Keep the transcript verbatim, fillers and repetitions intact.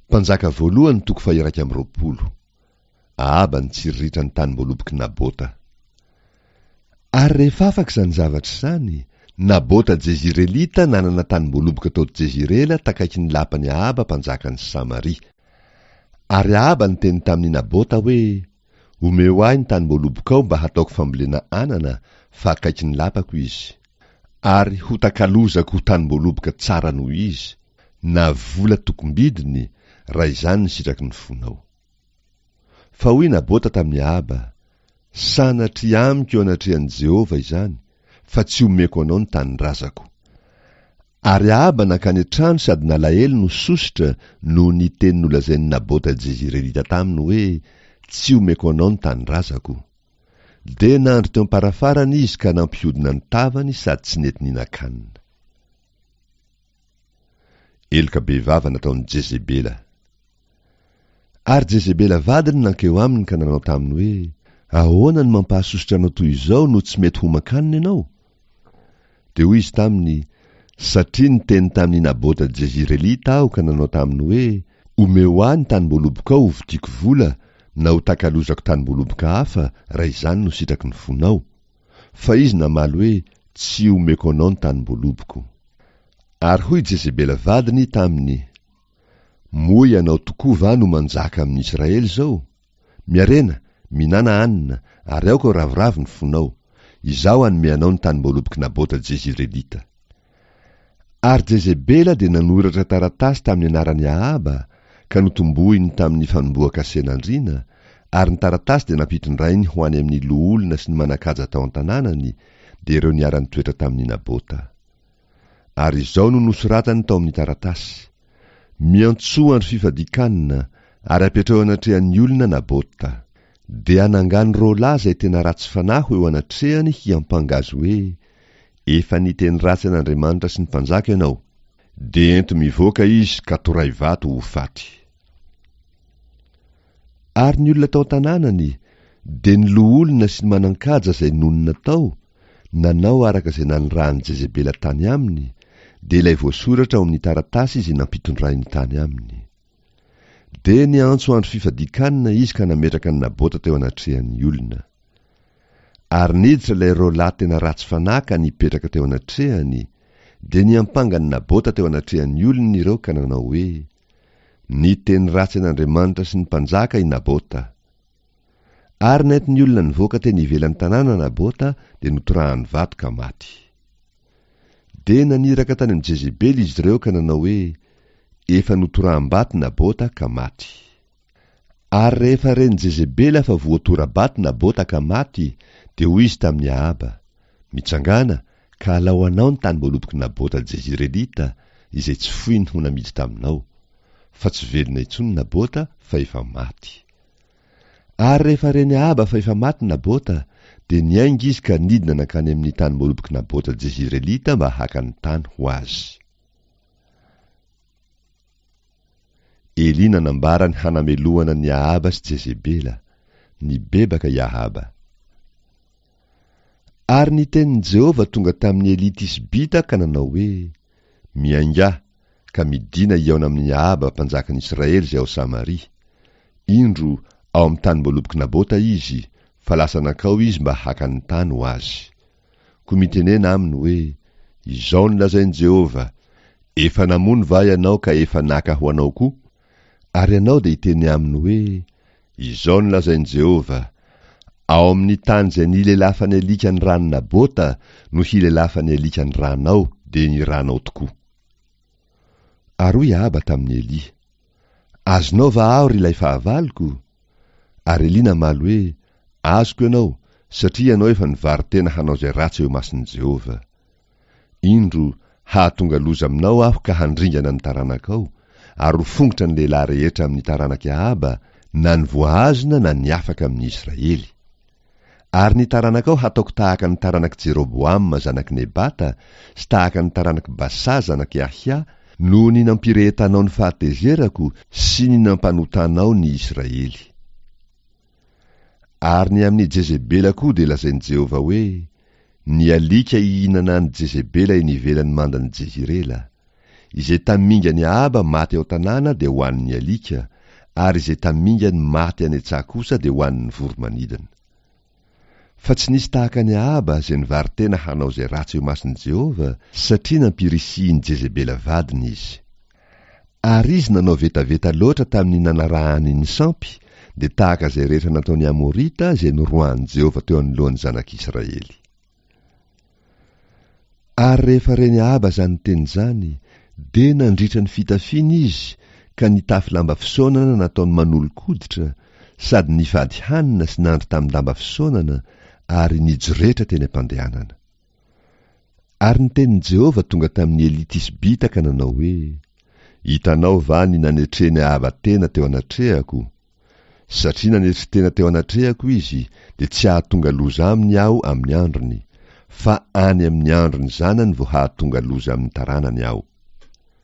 Mpanjaka voalohany toko faha-iraika amby roapolo. Ahaba nitsiriritra ny tanim-boalobok'i Nabota. Ary rehefa afaka izany zavatra izany, Nabota Jezirelita nanana tanim-boaloboka tao Jezirela takaikin'ny lapan'i Ahaba mpanjakan'i Samaria. Ary Ahaba niteny tamin'i Nabota hoe, Omeo ahy ny tanim-boalobokao mba hataoko fambolena anana, fa akaikin'ny lapako izy. Ary hotakalozako ho tanim-boaloboka tsara noho izy, na vola tokom-bidiny, raha izany ny sitraky ny fonao. Fa hoy Nabota tamin'i Ahaba, Sanatria amiko eo anatrehan'i Jehovah izany, fa tsy omeko anao ny tanindrazako. Ary Ahaba nankany an-trano sady nalahelo no sosotra noho ny teny nolazain'i Nabota Jezirelita taminy hoe, Tsy omeko anao ny tanindrazako. Dia nandry teo am-parafarana izy ka nampihodina ny tavany sady tsy nety nihinan-kanina. Heloka bevava nataon'i Jezebela. Ary Jezebela vadiny nankeo aminy ka nanao taminy hoe, Ahoana no mampahasosotra anao toy izao no tsy mety homan-kanina ianao? Dia hoy izy taminy, Satria niteny tamin'i Nabota Jezirelita aho ka nanao taminy hoe, Omeo ahy ny tanim-boalobokao hovidiako vola na hotakalozako tanim-boaloboka hafa raha izany no sitraky ny fonao. Fa izy namaly hoe, Tsy omeko anao ny tanim-boaloboko. Ary hoy Jezebela vadiny taminy, Moa ianao tokoa va no manjaka amin'ny Israely izao? Miarena, mihinàna hanina, ary aoka ho ravoravo ny fonao. Izaho hanome anao ny tanim-boalobok'i Nabota Jezirelita. Ary Jezebela dia nanoratra taratasy tamin'ny anaran'i Ahaba, ka notombohiny tamin'ny fanombohan-kasen'andriana, ary ny taratasy dia nampitondrainy ho any amin'ny loholona sy ny manan-kaja tao an-tanànany, dia ireo niara-nitoetra tamin'i Nabota. Ary izao no nosoratany tao amin'ny taratasy, Miantsoa andro fifadian-kanina, ary apetraho eo anatrehan'ny olona Nabota. Dia hanangano roa lahy izay tena ratsy fanahy ho eo anatrehany hiampanga azy hoe, Efa niteny ratsy an'Andriamanitra sy ny mpanjaka ianao. Dia ento mivoaka izy ka toray vato ho faty. Ary ny olona tao an-tanànany, dia ny loholona sy ny manan-kaja izay nonina tao, nanao araka izay nanirahan'i Jezebela tany aminy, dia ilay voasoratra ao amin'ny taratasy izay nampitondrainy tany aminy. Dia niantso andro fifadian-kanina izy ka nametraka an'i Nabota teo anatrehan'ny olona. Ary niditra ilay roa lahy tena ratsy fanahy ka nipetraka teo anatrehany, dia niampanga an'i Nabota teo anatrehan'ny olona ireo ka nanao hoe, Niteny ratsy an'Andriamanitra sy ny mpanjaka i Nabota. Ary nentin'ny olona nivoaka teny ivelan'ny tanàna Nabota dia notorahany vato ka maty. Dia naniraka tany amin'i Jezebela izy ireo ka nanao hoe, Efa notoraham-bato Nabota ka maty. Ary rehefa ren'i Jezebela fa voatora-bato Nabota ka maty, dia hoy izy tamin'i Ahaba, Mitsangàna, ka alao anao ny tanim-boalobok'i Nabota Jezirelita, izay tsy foiny ho namidy taminao. Fa tsy velona intsony Nabota, fa efa maty. Ary rehefa ren'i Ahaba fa efa maty Nabota, dia niainga izy ka nidina nankany amin'ny tanim-boalobok'i Nabota Jezirelita mba haka ny tany ho azy. Elia nanambara ny hanamelohana an'i Ahaba sy Jezebela. Nibebaka i Ahaba. Ary ny tenin'i Jehovah tonga tamin'i Elia Tisbita ka nanao hoe, Miaingà, ka midìna hihaona amin'i Ahaba mpanjakan'i Israely izay ao Samaria. Indro, ao amin'ny tanim-boalobok'i Nabota izy, fa lasa nankao izy mba haka ny tany ho azy. Koa mitenena aminy hoe, Izao no lazain'i Jehovah, Efa namono va ianao ka efa naka ho anao koa? Ary ianao dia hiteny aminy hoe, Izao no lazain'i Jehovah, Ao amin'ny tany izay nilelafan'ny alika ny ran'i Nabota no hilelafan'ny alika ny ranao, dia ny ranao tokoa. Ary hoy Ahaba tamin'i Elia, Azonao va aho, ry ilay fahavaloko? Ary Elia namaly hoe, Azoko ianao, satria ianao efa nivaro-tena hanao izay ratsy eo imason'i Jehovah. Indro, hahatonga loza aminao aho ka handringana ny taranakao, ary ho fongotra ny lehilahy rehetra amin'ny taranak'i Ahaba, na ny voahazona na ny afaka amin'ny Israely. Ary ny taranakao hataoko tahaka ny taranak'i Jeroboama zanak'i Nebata sy tahaka ny taranak'i Basa zanak'i Ahia, noho ny nampirehetanao ny fahatezerako sy ny nampanotanao ny Israely. Ary ny amin'i Jezebela koa dia lazain'i Jehovah hoe, Ny alika hihinana an'i Jezebela eny ivelan'ny mandan'i Jezirela. Izay tamingan'i Ahaba maty ao an-tanàna dia hohanin'ny alika, ary izay tamingany maty any an-tsaha kosa dia hohanin'ny voro-manidina. Fa tsy nisy tahaka an'i Ahaba izay nivaro-tena hanao izay ratsy eo imason'i Jehovah, satria nampirisihin'i Jezebela vadiny izy. Ary izy nanao vetaveta loatra tamin'ny nanarahany ny sampy, dia tahaka izay rehetra nataon'ny Amorita izay noroahan'i Jehovah teo anoloan'ny zanak'Israely. Ary rehefa ren'i Ahaba izany teny izany, dia nandritra ny fitafiany izy ka nitafy lamba fisaonana nataony manolo-koditra, sady nifady hanina sy nandry tamin-damba fisaonana, ary nijoretra teny am-pandehanana. Ary ny tenin'i Jehovah tonga tamin'i Elia Tisbita ka nanao hoe, Hitanao va ny nanetren'i Ahaba tena teo anatrehako? Satria nanetry tena teo anatrehako izy, dia tsy hahatonga loza aminy Aho amin'ny androny, fa any amin'ny andron'ny zanany vao hahatonga loza amin'ny taranany Aho.